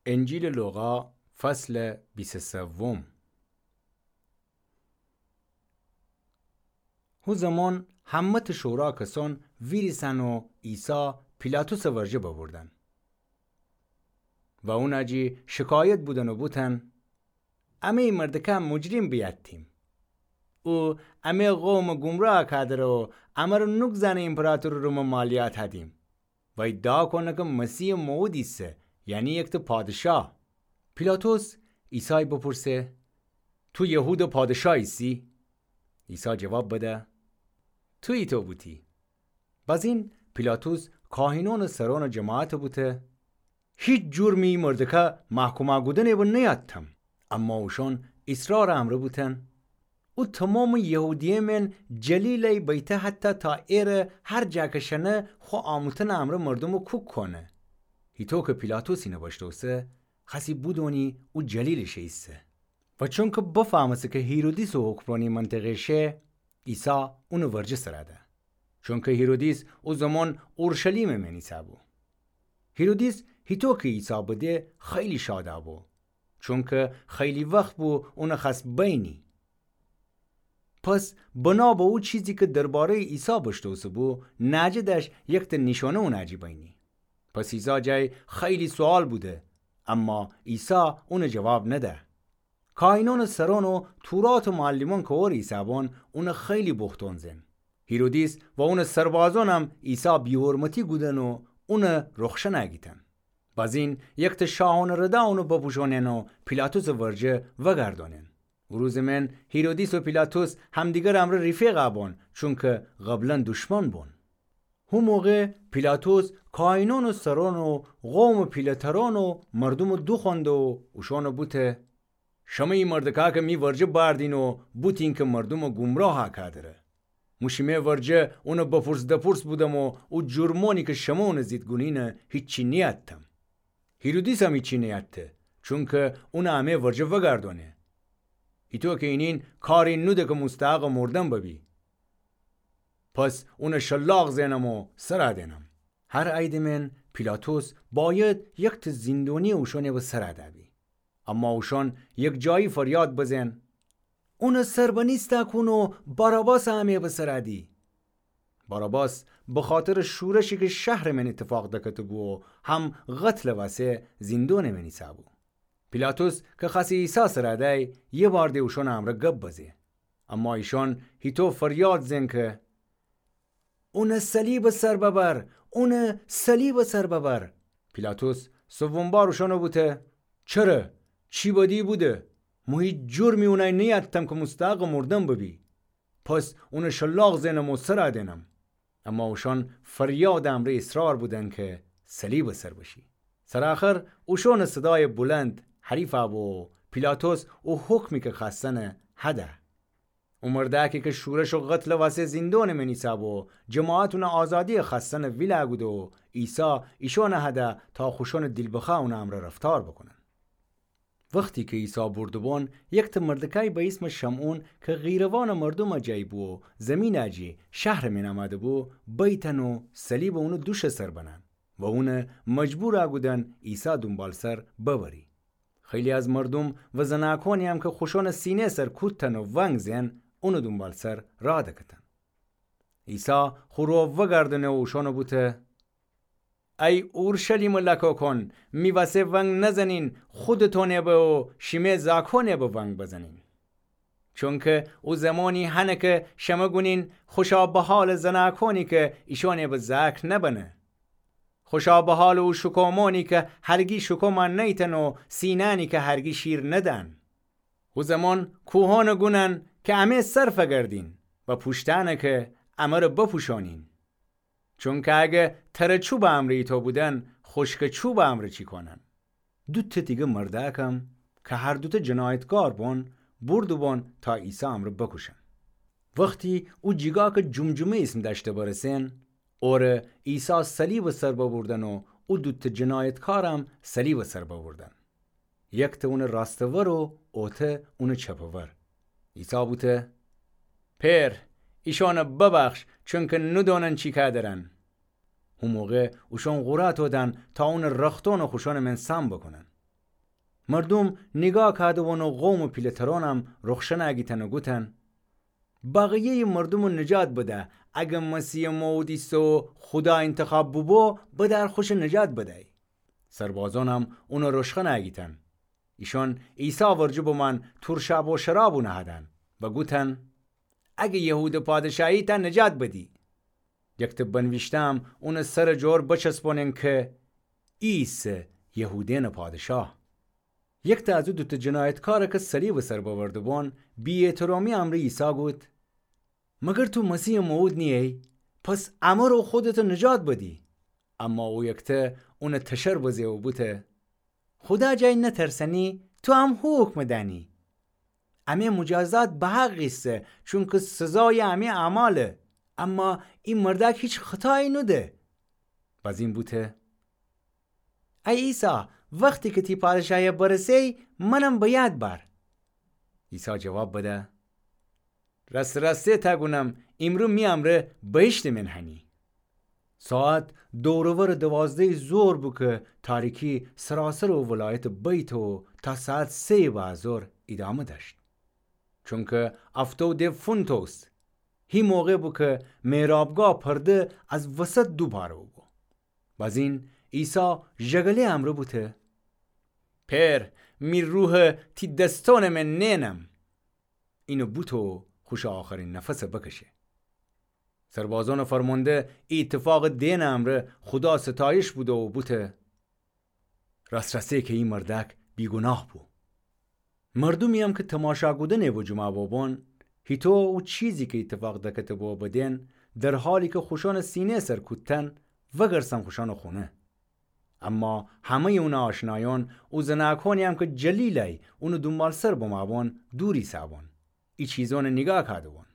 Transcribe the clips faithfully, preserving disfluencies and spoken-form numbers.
انجیلٚ لوقا، فصلٚ بیست و سوم. هو زمان همه‌تأ شورا کسأن ویریسن و عیسی پیلاطسٚ ورجه ببردن و اونٚ جی شکایت بودن و بوتن: امه ای مردکه مجرم بیأتیم. او امه قومٚ گمراه کادره و امر نوک زأنه ایمپراطورٚ رومٚ مالیات هدیم و ادعا کونه که مسیحٚ موعود ایسه، یعنی یکتأ پادشاه. پیلاطس عیسای بپرسه: تو یهودٚ پادشاه ایسی؟ عیسی جواب بده: تو ایتو بوتی. بزین پیلاطس کاهینأنٚ سرأنٚ جماعت بوته: هیچ جرمی ای مردکه محکوم کودنٚ به نیأتم. اما اوشأن اصرارٚ امرأ بوتن. او تومامٚ یهودیه مین جلیلای بیته حتی تا ایره هر جا که شنه خو آموتنٚ امرأ مردومٚ کوک کونه. هیطو که پیلاطس اینه بشنوسه، خوأسی بودونی او جلیلٚ شه ایسه. و چونکه بفهمسه که هیرودیسٚ حکمرأنی منطقه شه، عیسی اونٚ ورجه سر ده. چونکه هیرودیس او زمان اورشلیمٚ مین ایسه‌بو. هیرودیس هیطو که عیسی بده خیلی شاد بو، چونکه خیلی وخت بو اونٚ خوأس بینی. پس بنا به او چیزی که درباره‌یٚ عیسی بشنوسه‌بو، ناجه دأش یکتأ نیشأنه اونٚ جی بینی. پس عیسی جای خیلی سوال بوده، اما عیسی اونٚ جواب نده. کاهینأنٚ سرأن و توراتٚ معلمأن که ور ایسه‌بون، اونٚ خیلی بوختون زئن. هیرودیس و اونٚ سربازأنم عیسی بی‌حرمتی کودن و اونٚ رخشن گیتن. بزین یکتأ شاهأنٚ ردا اونٚ بپوشونئن و پیلاطسٚ ورجه وگردونئن. او روزٚ مین هیرودیس و پیلاطس همدیگرٚ امرأ رفیق بون، چونکه قبلا دشمن بون. هو موقع پیلاطس کاهینأنٚ سرأن و قومٚ پیله‌ترأن و مردومٚ دوخوأنده و اوشأن بوته: شمه ای مردکه که می ورجه بأردین و بوتین که مردومٚ گمراه کادره. مو شیمه ورجه اونٚ بپرس دپرس بودم و او جرمأنی که شمه اونٚ زید گونین هیچی نیأتم. هیرودیسم هیچی نیأته، چونکه اونٚ امه ورجه وگردونه. ایتو که اینین کاری نوده که مستحقٚ مردن ببی. پس اونٚ شلاق زئنم و سر دئنم. هر ایدمین پیلاطس باید یکتأ زندونی اوشأنٚ به سر دأبی. اما اوشأن یکجایی فریاد بزئن: اونٚ سر بنیسته کون و باراباس امه به سر دی. باراباس بخاطرٚ شورشی که شهرٚ مین ایتفاق دکته‌بو و هم قتلٚ وسه زندونٚ مین ایسه‌بو. پیلاطس که خوأسی عیسی سر دأی، یه بار ده اوشأنٚ امرأ گب بزه. اما ایشأن هیطو فریاد زئن که: اونٚ صلیبٚ سر ببر، اونٚ صلیبٚ سر ببر. پیلاطس سوم بار اوشأن بوته: چره؟ چی بدی بوده؟ مو هیچ جرمی اونٚ نیأتم که مستحقٚ مردن ببی. پس اونٚ شلاق زئنم و سر دئنم. اما اوشأن فریادٚ امرأ اصرار بودن که صلیبٚ سر بشی. سرٚ آخر اوشأنٚ صدایٚ بلند حریف بو و پیلاطس او حکمی که خوأستنٚ هده. او مردأکی که شورش و قتلٚ وسه زندونٚ مین ایسه‌بو، جماعت اونٚ آزادی خوأستنٚ ویل کوده و عیسی ایشأنٚ هده تا خوشأنٚ دیل بخوأ اونٚ امرأ رفتار بوکونن. وختی که عیسی برده‌بون، یکتأ مردکای به ایسمٚ شمعون که قیروانٚ مردومٚ جایی بو و زمینٚ جی شهرٚ مین امده‌بو، بیتن و صلیبٚ اونٚ دوشٚ سر بنن و اونٚ مجبور کودن عیسی دونبالسر ببری. خیلی از مردوم و زنأکونی‌یم که خوشأنٚ سینه سر کودتن و ونگ زئن، اونٚ دونبالسر راه دکتن. عیسی خو رو وگردأنه و اوشأن بوته: ای اورشلیمٚ لکه‌کون، می وسه ونگ نزنین، خودتونٚ به و شیمه زأکونٚ به ونگ بزنین. چونکه او زمانی هنه که شمه گونین: خوشا بحالٚ زنأکونی که ایشأنٚ به زأک نبنه. خوشا بحالٚ او شکومأنی که هرگی شکوم نیتن و سینأنی که هرگی شیر ندن. او زمان کوهأنٚ گونن که امه سر فگردین و پوشتأنٚ که امر بپوشأنین. چونکه اگه ترٚ چوبٚ امرأ ایتو بودن، خوشکٚ چوبٚ امرأ چی کونن؟ دوتأ دیگه مردأکم که هر دوتأ جنایتکار بون، برده‌بون تا عیسی امرأ بکوشن. وختی او جیگا که جمجمه ایسم دأشته برسن، اوره عیسی صلیبٚ سر ببردن و او دوتأ جنایتکارم صلیبٚ سر ببردن. یکتأ اونٚ راستٚ ور و اوتأ اونٚ چپٚ ور. عیسی بوته: پئر، ایشأنٚ ببخش، چونکه ندونن چی کادرن. هو موقع اوشأن قرأ تودن تا اونٚ رختأنٚ خوشأنٚ مین سام بوکونن. مردوم نیگاه کهده‌بون و قومٚ پیله‌ترونم رخشنَ گیتن و گوتن: بقیه‌یٚ مردومَ نجات بده، اگر مسیحٚ موعود ایسه و خودا اینتخاب بوبو، بدأر خوشَ نجات بدأی. سربازونم اونَ رشخنَ گیتن. ایشون عیسی ورجه بمأن تورشاب و شراب اونَ هدن و گوتن: اگر یهودٚ پادشاهی، تا نجات بدی. یکته بنویشته‌م اونٚ سرٚ جور بچسبونن کی: ای ایسه یهودأنٚ پادشاه. یکته از او دوتأ جنایتکارَ کی صلیبٚ سر ببرده‌بون، بی‌احترامی امرأ عیسی گوت: مگر تو مسیحٚ موعود نییی؟ پس امر و خودتَ نجات بدی. اما او یکته اونَ تشر بزه و بوته: خودا جای نترسنی، تو هم هو حکمَ دأنی. امی مجازات بحق ایسه، چونکی سزایٚ امی اعماله. اما ای مردأک هیچ خطایی نوده. بزین بوته: ای عیسی، وختی کی تی پادشاهی برسه‌یی، منم به یاد بأر. عیسی جواب بده: راسته راسته تأ گونم، ایمرو می امرأ بهشتٚ من هنی. ساعت دور و ورٚ دوازده‌یٚ ظهر بو کی تاریکی سراسرٚ او ولایتَ بیته و تا ساعت سه‌یٚ بعدٚ ظهر ایدامه دأشت. چونکی هفته‌یٚ دف فونتوس، هی موقع بو کی محرابگاه پرده از وسط دو پاره بوبو. بزین عیسی ژگله‌یٚ امرأ بوته: پئر، می روحَ تی دستونٚ من نئنم. اینه بوته و خوشٚ آخرین نفسَ بکشه. سربازونٚ فرمانده ای ایتفاقٚ دئنٚ امرأ خودا ستایش بوده و بوته: راس‌راسی کی ای مردأک بیگوناه بو. مردومی‌یم کی تماشا کودنٚ بجومه بوبون، هیتو او چیزی کی ایتفاق دکته بو بدئن، در حالی کی خوشأنٚ سینه سر کودتن، وگرسن خوشأنٚ خونه. اما همه‌یٚ اونٚ آشنایون، او زنأکونی‌یم کی جلیلأی اونٚ دونبالسر بمأبون، دور ایسه‌بون، ای چیزونٚ نیگاه کهده‌بون.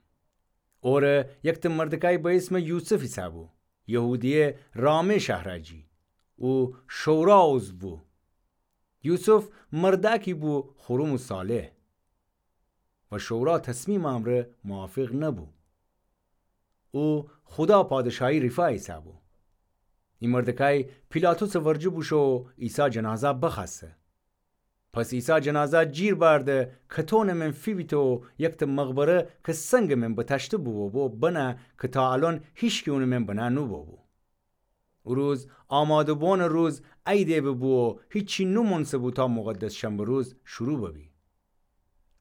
اوره یکته مردکأی به ایسمٚ یوسف ایسه‌بو، یهودیه رامه شهرأ جی. او شورا عضو بو. یوسف مردأکی بو خورم و صالح و شورا تصمیمٚ امرأ موافق نبو. او خودا پادشاهی ریفا ایسه‌بو. ای مردکأی پیلاطسٚ ورجه بوشو و عیسی جنازه بخوأسته. پس عیسی جنازه جیر بأرده، کتونٚ من فیبیته و یکته مقبره کی سنگٚ من بتأشته بوبو بنه کی تا الأن هیچکی اونٚ من بنه نوبوبو. او روز آماده بونٚ روز عیدٚ ببو و هیچی نومونسه‌بو تا مقدس شنبه روز شروع ببی.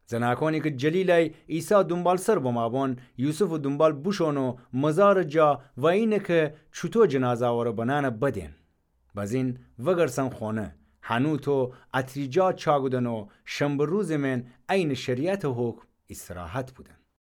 زنأکونی کی جلیلأی عیسی دونبالسر بمأبون، یوسفٚ دونبال بوشون و مزارٚ جا و اینه کی چوطو جنازه اوره بنأنه بدئن. بزین وگرسن خونه، هنوطو اطری جا چاکودن و شنبه روزٚ من عینٚ شریعتٚ حکم استراحت بودن.